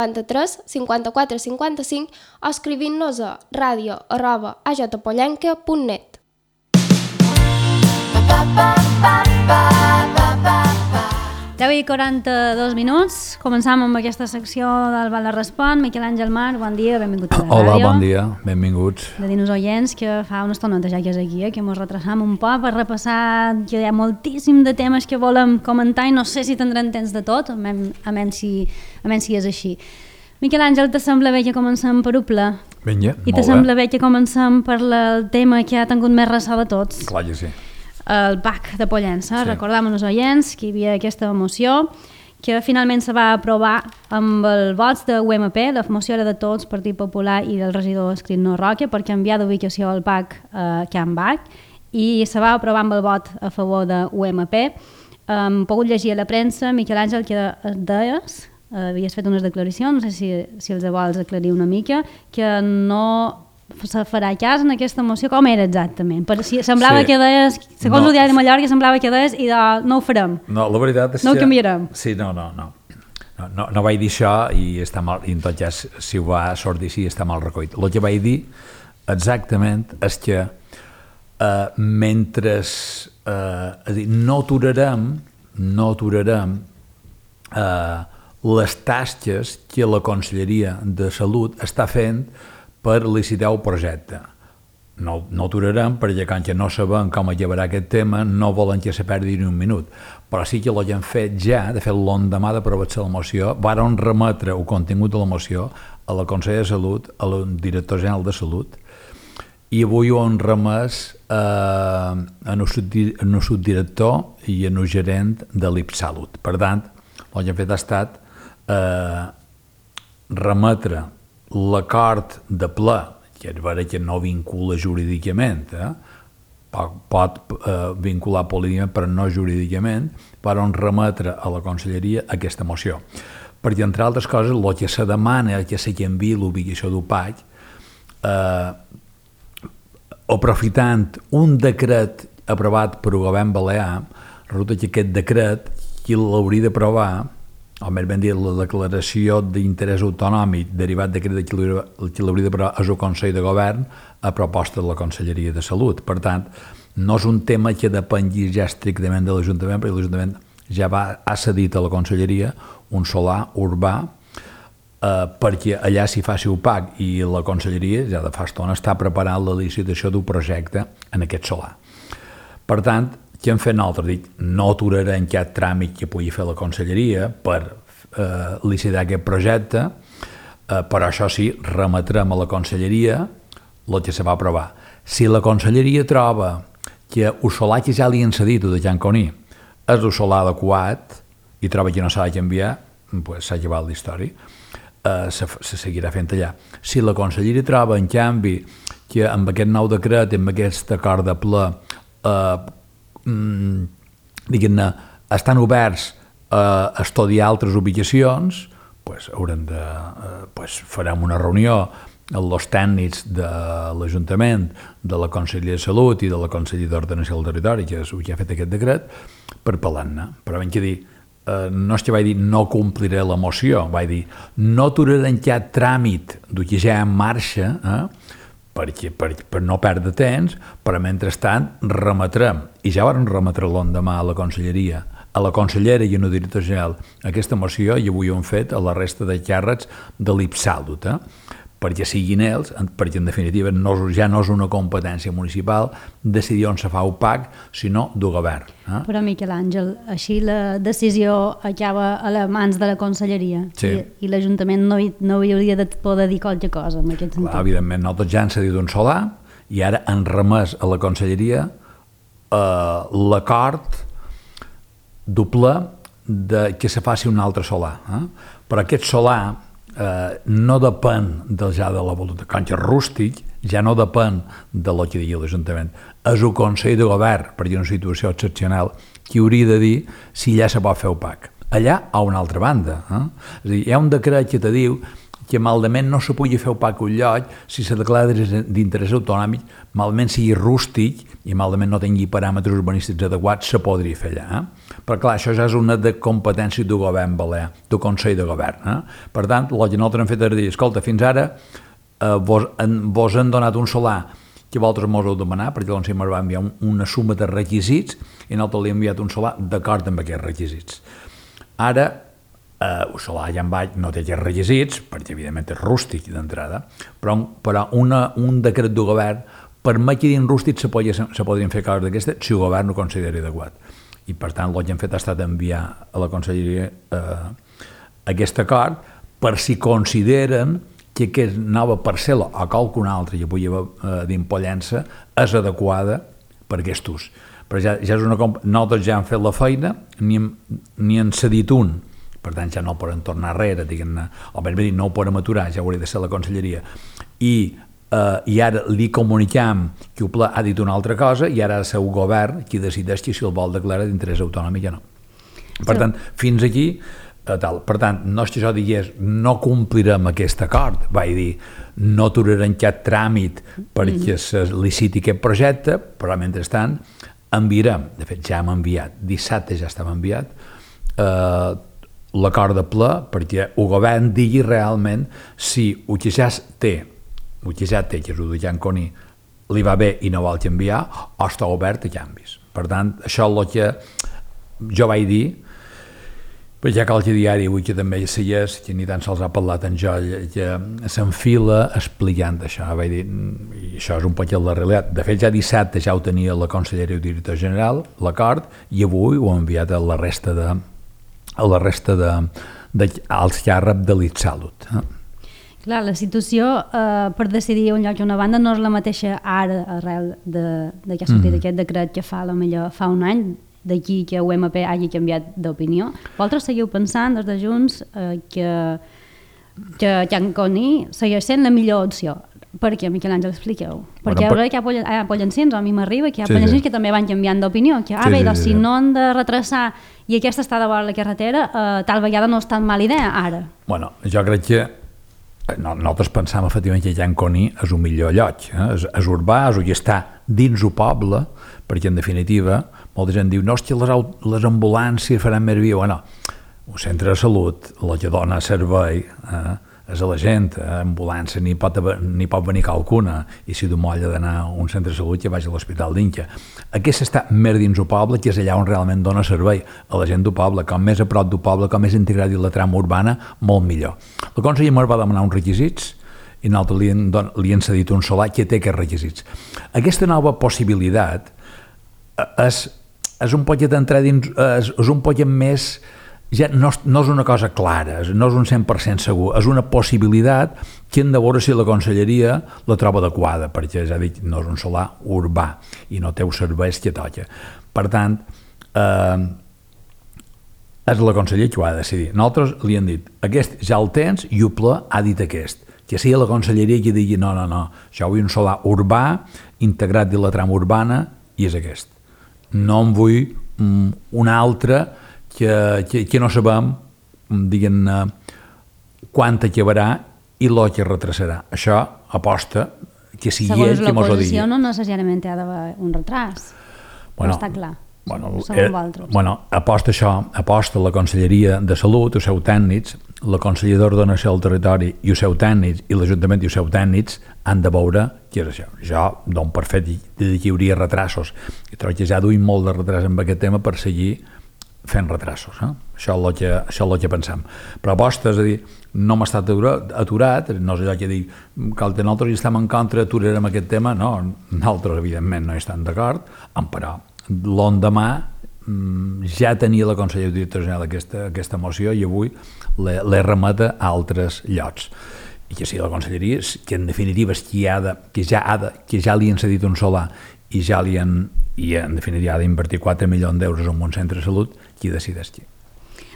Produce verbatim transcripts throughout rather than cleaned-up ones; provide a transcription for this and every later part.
cinquanta-tres cinquanta-quatre cinquanta-cinc o escrivint-nos a ràdio arroba a j pollenca punt net. deu i quaranta-dos minuts. Començam amb aquesta secció del Val de Respon. Miquel Àngel Mar, bon dia, benvingut a la Hola, ràdio. bon dia, benvinguts. De dir-nos oients que fa una estoneta ja que és aquí, eh, que mos retrasam un poc per repassar, que hi ha moltíssim de temes que volem comentar i no sé si tindrem temps de tot, a menys si, a menys si és així. Miquel Àngel, te sembla bé que comencem per Upla? Vinga, I te sembla bé que comencem per la, el tema que ha tingut més ressò de tots? Clar que sí. El P A C de Pollença. Sí. Recordàvem als oients que hi havia aquesta moció que finalment se va aprovar amb els vots de U M P. La moció era de tots, Partit Popular i del regidor Escrivnó Roca, per canviar d'ubicació al P A C a Can Bac, i se va aprovar amb el vot a favor de U M P. Hem pogut llegir a la premsa, Miquel Àngel, que deies, havies fet unes declaracions, no sé si, si els vols aclarir una mica, que no se farà cas en aquesta moció. Com era exactament? Per si semblava Sí. que deies, segons No. el diari de Mallorca, semblava que deies i de, no ho farem. No, la veritat és No ho que... canviarem. Sí, no, no, no. No, no, no vaig dir això i, està mal, i en tot cas, si ho va sortir així, està mal recollit. El que vaig dir exactament és que eh, mentre eh, és a dir, no aturarem, no aturarem eh, les tasques que la Conselleria de Salut està fent per licitar el projecte. No, no aturarem perquè com que no sabem com acabarà aquest tema no volen que se perdi ni un minut, però sí que l'hem fet ja, de fet l'endemà d'aprovar-se la moció, varen remetre el contingut de la moció a la Consellera de Salut, al director general de Salut, i avui ho han remès eh, en el subdirector i en el gerent de l'I P Salut. Per tant, el que hem fet ha estat eh, remetre l'acord de ple, que és vera que no vincula jurídicament, eh? pot, pot eh, vincular políticament però no jurídicament, per on remetre a la Conselleria aquesta moció. Perquè, entre altres coses, el que se demana és que se canviï l'ubicació d'U P A C, eh, aprofitant un decret aprovat per el govern balear, resulta que aquest decret qui l'hauria d'aprovar, o més ben dit, la declaració d'interès autonòmic derivat d'aquest que l'hauria d'aprovar és el Consell de Govern a proposta de la Conselleria de Salut. Per tant, no és un tema que depengui ja estrictament de l'Ajuntament, perquè l'Ajuntament ja va, ha cedit a la Conselleria un solar urbà eh, perquè allà s'hi faci U P A C, i la Conselleria ja de fa estona està preparant la licitació d'un projecte en aquest solar. Per tant, què hem fet nosaltres? Dic, no aturarem cap tràmit que pugui fer la Conselleria per eh, licitar aquest projecte, eh, però això sí, remetrem a la Conselleria el que se va aprovar. Si la Conselleria troba que el solar que ja li han cedit de Can Coní és el solar adequat i troba que no s'ha de canviar, pues s'ha acabat la història, eh, se, se seguirà fent allà. Si la Conselleria troba, en canvi, que amb aquest nou decret, amb aquest acord de ple, eh, Mm, diguem-ne, estan oberts a estudiar altres ubicacions, pues, haurem de, eh, pues, farem una reunió amb els tècnics de l'Ajuntament, de la Conselleria de Salut i de la Conselleria d'Ordenació del Territori, que és el que ha fet aquest decret, per parlar-ne. Però ben que dir, eh, no és que vaig dir no compliré la moció, vaig dir no aturarem cap tràmit del que ja en marxa, eh, perquè, per, per no perdre temps, però mentrestant remetrem, i ja vam remetre l'endemà a la Conselleria, a la consellera i a la directora general, aquesta moció, i avui ho hem fet a la resta de càrrecs de l'I P Salut, eh? perquè siguin ells, perquè en definitiva no, ja no és una competència municipal decidir on se fa U P A C, sinó del govern. Eh? Però, Miquel Àngel, així la decisió acaba a les mans de la Conselleria, sí. i, i l'Ajuntament no, no hi hauria de poder dir qualque cosa en aquest sentit. Clar, evidentment, nosaltres ja han cedit un solar i ara han remès a la Conselleria eh, l'acord doble de que se faci un altre solar. Eh? Però aquest solar Eh, no depèn del ja de la voluntat. Com que és rústic, ja no depèn de lo que digui l'Ajuntament. És el Consell de Govern, perquè és una situació excepcional, qui hauria de dir si ja se pot fer U P A C. Allà, a una altra banda. Eh? És a dir, hi ha un decret que te diu que malament no se pugui fer opac un lloc si se declara d'interès autonòmic, malament sigui rústic i malament no tingui paràmetres urbanístics adequats, se podria fer allà. Eh? Però clar, això ja és una de competència del govern balear, del Consell de Govern. Eh? Per tant, el que nosaltres hem fet és dir, escolta, fins ara eh, vos, en, vos han donat un solar que vosaltres mos heu demanat, perquè l'Onsell ens va enviar un, una suma de requisits i nosaltres li hem enviat un solar d'acord amb aquests requisits. Ara, eh, el solar ja en baix no té aquests requisits, perquè evidentment és rústic d'entrada, però, però una, un decret del govern permet que dins rústic se, podia, se podrien fer coses d'aquestes si el govern ho consideri adequat. I per tant el que hem fet ha estat enviar a la Conselleria eh, aquest acord per si consideren que aquesta nova parcel·la o qualcuna altra que pugui haver eh, d'impollença és adequada per aquest ús. Però ja, ja és una comp... nosaltres ja hem fet la feina, ni hem, ni hem cedit un, per tant ja no podem tornar enrere, diguem-ne, o ben bé dir, no ho podem aturar, ja hauria de ser la Conselleria. I, eh, i ara li comunicam que el Pla ha dit una altra cosa i ara ha de ser el govern qui decideix si el vol declarar d'interès autonòmic o no. Per tant, fins aquí tal. Per tant, no és que això digués no complirem aquest acord, vaig dir no aturarem cap tràmit perquè se liciti aquest projecte, però mentrestant enviarem, de fet ja hem enviat, dissabte ja estava enviat, eh, l'acord de ple perquè el govern digui realment si el que ja té, el que ja té, que és el de Jan Coni, li va bé i no vol canviar, o està obert a canvis. Per tant, això és el que jo vaig dir, però ja cal que diari avui que també seies, que ni tan sols ha parlat en jo, que s'enfila explicant això. Vaig dir, i això és un poc la realitat. De fet, ja dissabte ja ho tenia la Conselleria i el Director General, l'acord, i avui ho ha enviat a la resta de, a la resta de, de als càrrecs de l'Itsalut. Eh? Clar, la situació eh, per decidir un lloc i una banda no és la mateixa ara arrel de, de que ha sortit mm. aquest decret que fa, potser fa un any, d'aquí que U M P hagi canviat d'opinió. Vosaltres seguiu pensant des de Junts eh, que, que Jan Coni segueix sent la millor opció. Per què, Miquel Àngel, expliqueu? Perquè bueno, per... hi ha pollancins, a mi m'arriba que hi ha sí, pollancins sí. que també van canviant d'opinió, que ah, sí, bé, doncs, sí, sí. si no han de retrasar i aquesta està de vora la carretera, eh, tal vegada no és tan mala idea ara. Bueno, jo crec que no, nosaltres pensàvem efectivament que Jan Coni és un millor lloc, eh? és, és urbà, és que està dins el poble, perquè en definitiva molta gent diu, no, és que les, les ambulàncies faran més via. Bueno, un centre de salut, el que dona servei eh, és a la gent, eh, ambulància ni pot, ni pot venir qualcuna, i si du molla d'anar a un centre de salut que vagi a l'Hospital d'Inca. Aquesta està més dins el poble, que és allà on realment dona servei a la gent del poble. Com més a prop del poble, com més integrat i la trama urbana, molt millor. La Conselleria ens va demanar uns requisits i nosaltres li, hem, li hem cedit un solar que té aquests requisits. Aquesta nova possibilitat és és un poquet d'entrar dins, és, és un poquet més, ja no, no és una cosa clara, no és un cent per cent segur, és una possibilitat que hem de veure si la Conselleria la troba adequada, perquè ja dic, no és un solar urbà i no té els serveis que toca. Per tant, eh, és la Conselleria que ho ha de decidir. Nosaltres li hem dit, aquest ja el tens i el Pla ha dit aquest, que sigui la Conselleria que digui no, no, no, jo vull un solar urbà, integrat dins la trama urbana i és aquest. No en vull um, una altra que, que, que no sabem diguem-ne quan acabarà i el que retrasarà. Això aposta que sigui segons ell qui mos ho digui. Segons l'oposició no necessàriament hi ha d'haver un retras, bueno, no està clar. Bueno, eh, bueno, aposta això, aposta la Conselleria de Salut, els seus tècnics, la Conselleria d'Ordenació del Territori i els seus tècnics i l'Ajuntament i els seus tècnics han de veure què és això. Jo dono per fet que hi hauria retrasos i trobo que ja duim molt de retras amb aquest tema per seguir fent retrasos. Eh? Això és el que, això és el que pensem. Però aposta, és a dir, no m'ha estat aturat, no és allò que dic que nosaltres hi estem en contra, aturarem aquest tema, no, nosaltres evidentment no hi estem d'acord, però l'endemà ja tenia la Conselleria de Director General aquesta, aquesta moció i avui l'he remeta a altres llocs. I que sigui la Conselleria, que en definitiva és qui ha de, que ja ha de, que ja li han cedit un solar i ja li han, i en definitiva ha d'invertir quatre milions d'euros en un centre de salut, qui decideix qui.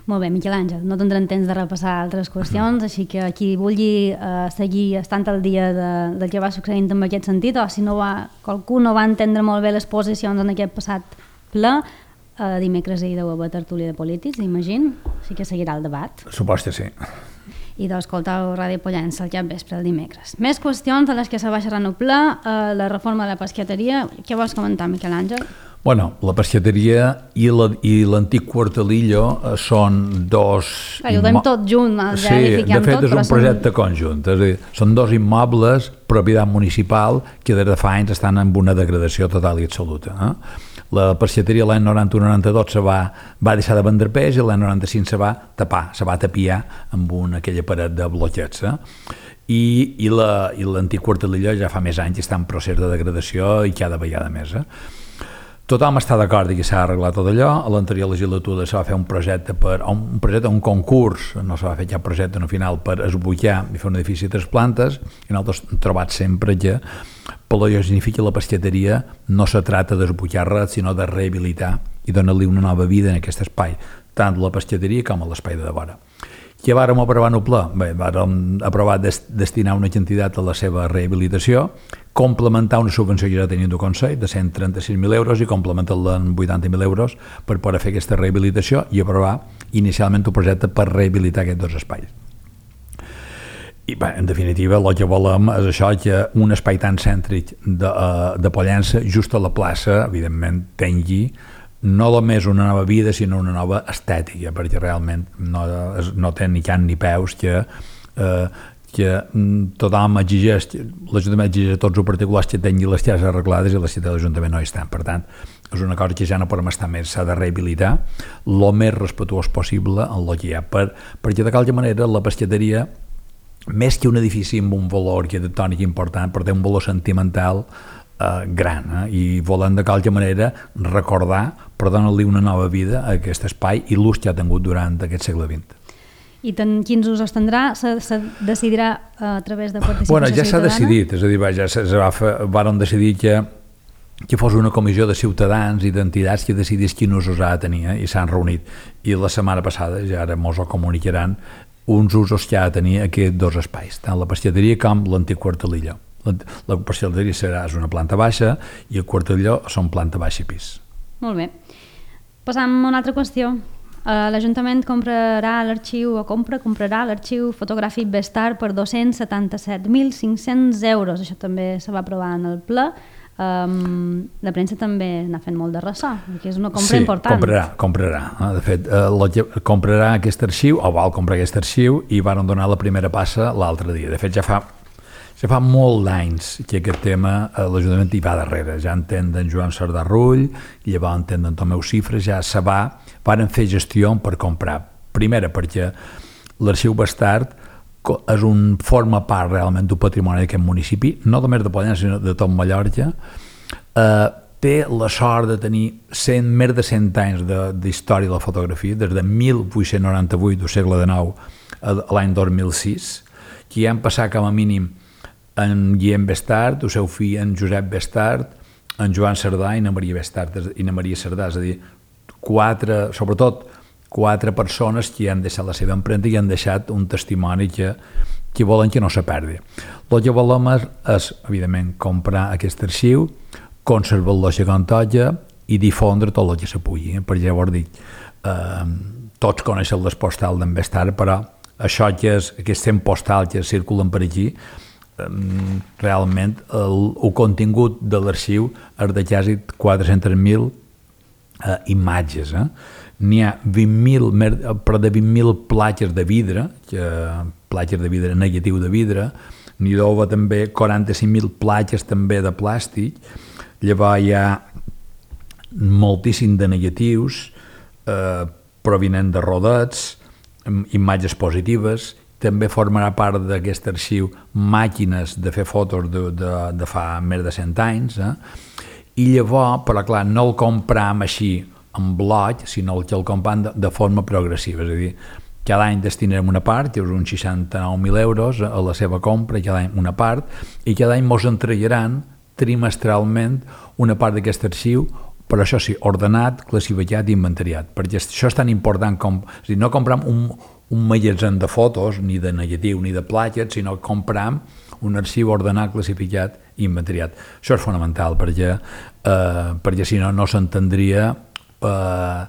Molt bé, Miquel Àngel, no tindrem temps de repassar altres qüestions, mm. així que qui vulgui eh, seguir estant al dia de, del que va succeint en aquest sentit, o si no va, qualcú no va entendre molt bé les posicions en aquest passat ple, eh, dimecres hi deu haver tertúlia de polítics, imagino, així que seguirà el debat. Supos que sí. i d'escoltar Ràdio Pollença al cap vespre el dimecres. Més qüestions de les que se va xerrar en ple, eh, la reforma de la pesqueteria. Què vols comentar, Miquel Àngel? Bueno, la pesqueteria i l'antic Quartelillo eh, són dos... Clar, ho tenim tot junt, ja sí, hi fiquem de fet tot, és un projecte són... conjunt, és a dir, són dos immobles, propietat municipal, que des de fa anys estan en una degradació total i absoluta. Eh? La pesqueteria l'any noranta-u noranta-dos se va, va deixar de vendre peix i l'any noranta-cinc se va tapar, se va tapiar amb una, aquella paret de bloquets. Eh? I, i l'antic la, Quartelillo ja fa més anys està en procés de degradació i cada vegada més. Eh? Tothom està d'acord que s'ha arreglat tot allò. A l'anterior legislatura se va fer un projecte, per, un projecte, un concurs, no se va fer cap projecte no final, per esbuixar i fer un edifici de tres plantes, i nosaltres hem trobat sempre que pel que significa la pesqueteria no se tracta d'esbuixar res, sinó de rehabilitar i donar-li una nova vida en aquest espai, tant la pesqueteria com a l'espai de vora. Què vàrem aprovar en el ple? Bé, vàrem aprovar des, destinar una quantitat a la seva rehabilitació, complementar una subvenció que ja tenim del Consell de cent trenta-sis mil euros i complementar-la en vuitanta mil euros per poder fer aquesta rehabilitació i aprovar inicialment un projecte per rehabilitar aquests dos espais. I bé, en definitiva el que volem és això, que un espai tan cèntric de, de Pollença, just a la plaça, evidentment tingui no només una nova vida, sinó una nova estètica, perquè realment no, no té ni can ni peus que, eh, que tothom exigeix, l'Ajuntament exigeix a tots els particulars que tinguin les cases arreglades i la ciutat de l'Ajuntament no hi estan. Per tant, és una cosa que ja no podem estar més, s'ha de rehabilitar el més respetuós possible en el que hi ha, per, perquè de qualque manera la pesqueteria, més que un edifici amb un valor arquitectònic important, però té un valor sentimental Eh, gran, eh? I volen de qualque manera recordar per donar-li una nova vida a aquest espai i l'ús que ha tingut durant aquest segle vint. I ten, quins usos tindrà? Se, se decidirà a través de participació bueno, ja ciutadana? s'ha decidit, és a dir, ja se, se va fer, varen decidir que, que fos una comissió de ciutadans i d'entitats que decidís quin usos ha de tenir, eh? I s'han reunit. I la setmana passada, ja ara mos ho comunicaran, uns usos que ha de tenir aquests dos espais, tant la pesqueteria com l'antic Quartelillo. La pesqueteria serà una planta baixa i el Quartelillo són planta baixa i pis. Molt bé. Passam a una altra qüestió. Uh, L'Ajuntament comprarà l'arxiu o compra, comprarà l'arxiu fotogràfic Bestar per dos-cents setanta-set mil cinc-cents euros. Això també se va aprovar en el ple. Um, la premsa també n'ha fet molt de ressò, perquè és una compra sí, important. Sí, comprarà, comprarà. De fet, eh, comprarà aquest arxiu, o vol comprar aquest arxiu, i van donar la primera passa l'altre dia. De fet, ja fa Ja fa molt d'anys que aquest tema eh, l'Ajuntament hi va darrere. Ja entén d'en Joan Sardà Rull, llavors entén d'en Tomeu Cifres, ja se va, van fer gestió per comprar. Primera, perquè l'arxiu Bastard és un, forma part realment d'un patrimoni d'aquest municipi, no només de Pollença, sinó de tot Mallorca. Eh, té la sort de tenir cent, més de cent anys d'història de, de la fotografia, des de mil vuit-cents noranta-vuit del segle dinou a l'any dos mil sis, que hi han passat com a mínim en Guillem Bestard, el seu fill en Josep Bestard, en Joan Sardà i na Maria Bestard i na Maria Sardà, és a dir, quatre, sobretot quatre persones que han deixat la seva empremta i han deixat un testimoni que, que volen que no se perdi. El que volem és, és, evidentment, comprar aquest arxiu, conservar-lo a Contolla i difondre tot el que se pugui, eh? Perquè llavors dic, eh, tots coneixen les postals d'en Bestard, però això que és, aquest cent postal que circulen per aquí, realment el, el contingut de l'arxiu és de quasi quatre-cents mil eh, imatges. Eh? N'hi ha vint mil, però de vint mil platges de vidre, que, platges de vidre, negatiu de vidre, n'hi ha també quaranta-cinc mil platges també de plàstic, llavors hi ha moltíssim de negatius eh, provinent de rodets, imatges positives. També formarà part d'aquest arxiu màquines de fer fotos de, de, de fa més de cent anys, eh? I llavors, però clar, no el compram així en bloc, sinó que el compram de, de forma progressiva, és a dir, cada any destinarem una part, que és uns seixanta-nou mil euros a la seva compra, cada any una part, i cada any ens entregaran trimestralment una part d'aquest arxiu, però això sí, ordenat, classificat i inventariat, perquè això és tan important com... És a dir, no compram un, un magatzem de fotos, ni de negatiu, ni de platges, sinó que compram un arxiu ordenat, classificat i inventariat. Això és fonamental, perquè, eh, perquè si no, no s'entendria eh,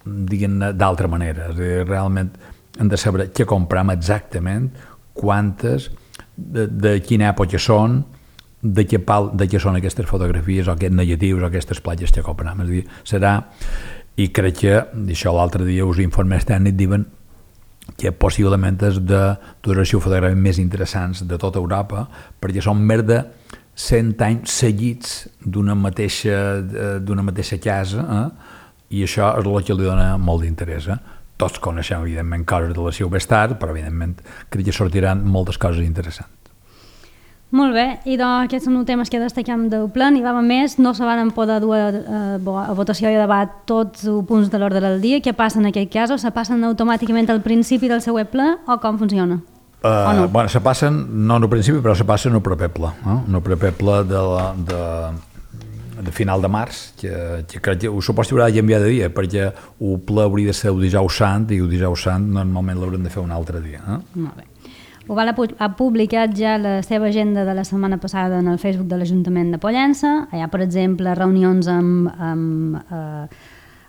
diguem-ne d'altra manera. És a dir, realment hem de saber què compram exactament, quantes, de, de quina època són, de què, pal, de què són aquestes fotografies o aquests negatius o aquestes platges que compram. És a dir, serà, i crec que, això l'altre dia us informes tècnics diuen que possiblement és de duració fotogràfica més interessants de tota Europa, perquè són més de cent anys seguits d'una mateixa, d'una mateixa casa, eh? I això és el que li dona molt d'interès. Eh? Tots coneixem, evidentment, coses de la Silvestar, però, evidentment, crec que sortiran moltes coses interessants. Molt bé, i doncs aquests són els temes que destaquem del ple, n'hi va més, no se van poder dur a, a votació i a debat tots els punts de l'ordre del dia. Què passa en aquest cas? Se passen automàticament al principi del següent ple o com funciona? Uh, o no? Bueno, se passen, no en el principi, però se passen en el proper ple, eh? En el proper ple de la... De... de final de març, que, que, que ho suposo que haurà de canviar de dia, perquè el ple hauria de ser el dijous sant, i el dijous sant normalment l'haurem de fer un altre dia. Eh? Molt bé. Oval ha publicat ja la seva agenda de la setmana passada en el Facebook de l'Ajuntament de Pollença. Hi ha, per exemple, reunions amb, amb, eh,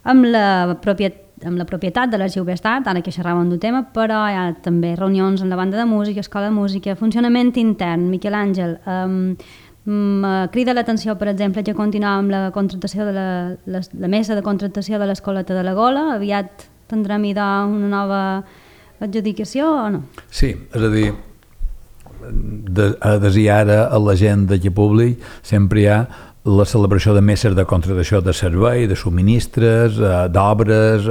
amb, la, propietat, amb la propietat de l'Arxiu Bestat, ara que xerràvem d'un tema, però hi ha també reunions amb la banda de música, escola de música, funcionament intern. Miquel Àngel, eh, crida l'atenció, per exemple, que continuem amb la contractació de la, la, la mesa de contractació de l'Escoleta de la Gola. Aviat tindrem una nova adjudicació o no? Sí, és a dir, de, des i ara a l'agenda que públic sempre hi ha la celebració de meses de contractació de servei, de subministres, d'obres,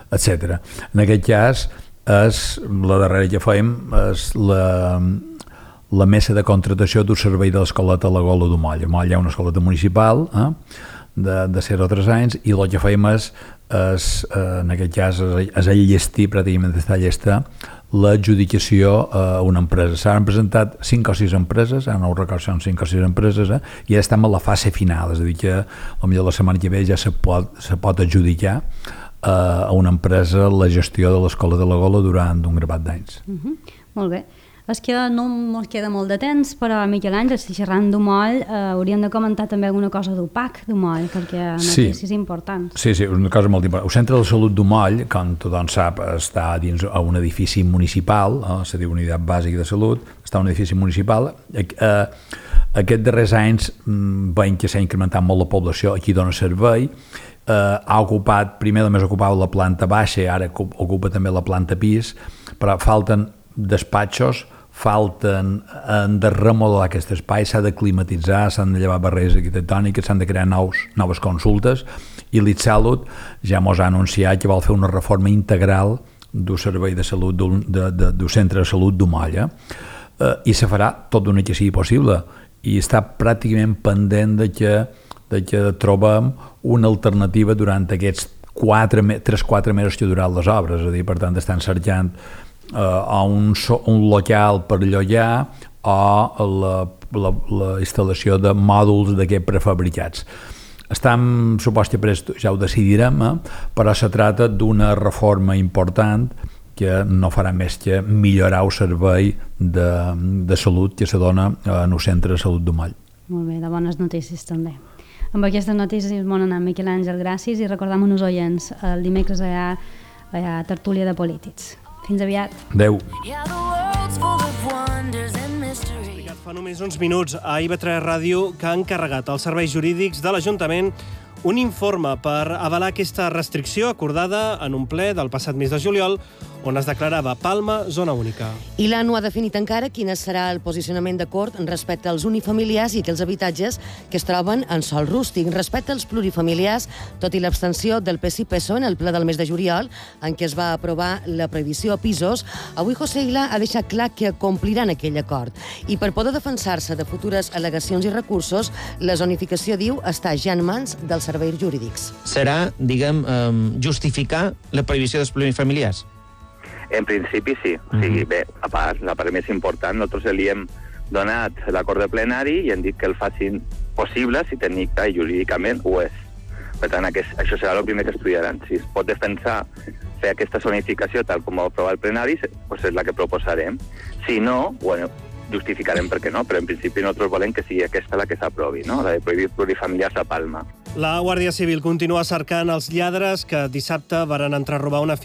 etcètera. En aquest cas, és, la darrera que fem és la... la mesa de contractació d'un servei de l'escoleta a la Gola de Moll. A Moll hi ha una escoleta municipal eh, de, de zero a tres anys i el que fem és, és en aquest cas, és enllestir, pràcticament està llesta, l'adjudicació a una empresa. S'han presentat cinc o sis empreses, ara no ho recordo, són cinc o sis empreses, eh, i ara estem a la fase final, és a dir que potser la setmana que ve ja se pot, se pot adjudicar eh, a una empresa la gestió de l'escola de la Gola durant un grapat d'anys. Uh-huh. Molt bé. És que no ens queda molt de temps, però Miquel Àngel, si xerrant d'Umoll, eh, hauríem de comentar també alguna cosa d'U P A C d'Umoll, perquè hi ha notícies sí. importants. Sí, sí, una cosa molt important. El Centre de Salut d'Umoll, com tothom sap, està dins un edifici municipal, eh, se diu Unitat Bàsica de Salut, està un edifici municipal. Eh, aquests darrers anys veiem que s'ha incrementat molt la població, aquí dona servei, eh, ha ocupat, primer només ocupava la planta baixa, ara ocupa també la planta pis, però falten despatxos, falten han de remodelar aquest espai, s'ha de climatitzar, s'han de llevar barreres arquitectòniques, s'han de crear nous, noves consultes, i l'Itsalut ja mos ha anunciat que vol fer una reforma integral del servei de salut, del, de, de, del centre de salut d'Umoll, eh? I se farà tot d'una que sigui possible, i està pràcticament pendent de que, de que trobem una alternativa durant aquests tres o quatre mesos que ha durat les obres, és a dir, per tant, estan cercant Uh, a un, so, un local per llogar o la, la, la instal·lació de mòduls d'aquests prefabricats. Estem, supos que pres, ja ho decidirem, eh? Però se trata d'una reforma important que no farà més que millorar el servei de, de salut que se dona en el centre de salut d'Umoll. Molt bé, de bones notícies també. Amb aquestes notícies bon anar, Miquel Àngel, gràcies, i recordem uns oients, el dimecres hi ha, hi ha tertúlia de polítics. Fins aviat. Adéu. Explicat fa només uns minuts a I V tres Ràdio que ha encarregat als serveis jurídics de l'Ajuntament un informe per avalar aquesta restricció acordada en un ple del passat mes de juliol on es declarava Palma zona única. I l'A N U ha definit encara quin serà el posicionament de Cort respecte als unifamiliars i aquells habitatges que es troben en sòl rústic. Respecte als plurifamiliars, tot i l'abstenció del P S I P S O E en el ple del mes de juliol, en què es va aprovar la prohibició a pisos, avui José Ila ha deixat clar que compliran aquell acord. I per poder defensar-se de futures al·legacions i recursos, la zonificació, diu, està ja en mans dels serveis jurídics. Serà, diguem, justificar la prohibició dels plurifamiliars? En principi sí. O sigui, bé, a part, la part més important, nosaltres li hem donat l'acord de plenari i hem dit que el facin possible si tècnica i jurídicament ho és. Per tant, aquest, això serà el primer que estudiaran. Si es pot defensar fer aquesta zonificació tal com ho aprova el plenari, doncs és la que proposarem. Si no, bueno, justificarem per què no, però en principi nosaltres volem que sigui aquesta la que s'aprovi, no? La de prohibir plurifamiliars a Palma. La Guàrdia Civil continua cercant els lladres que dissabte varen entrar a robar una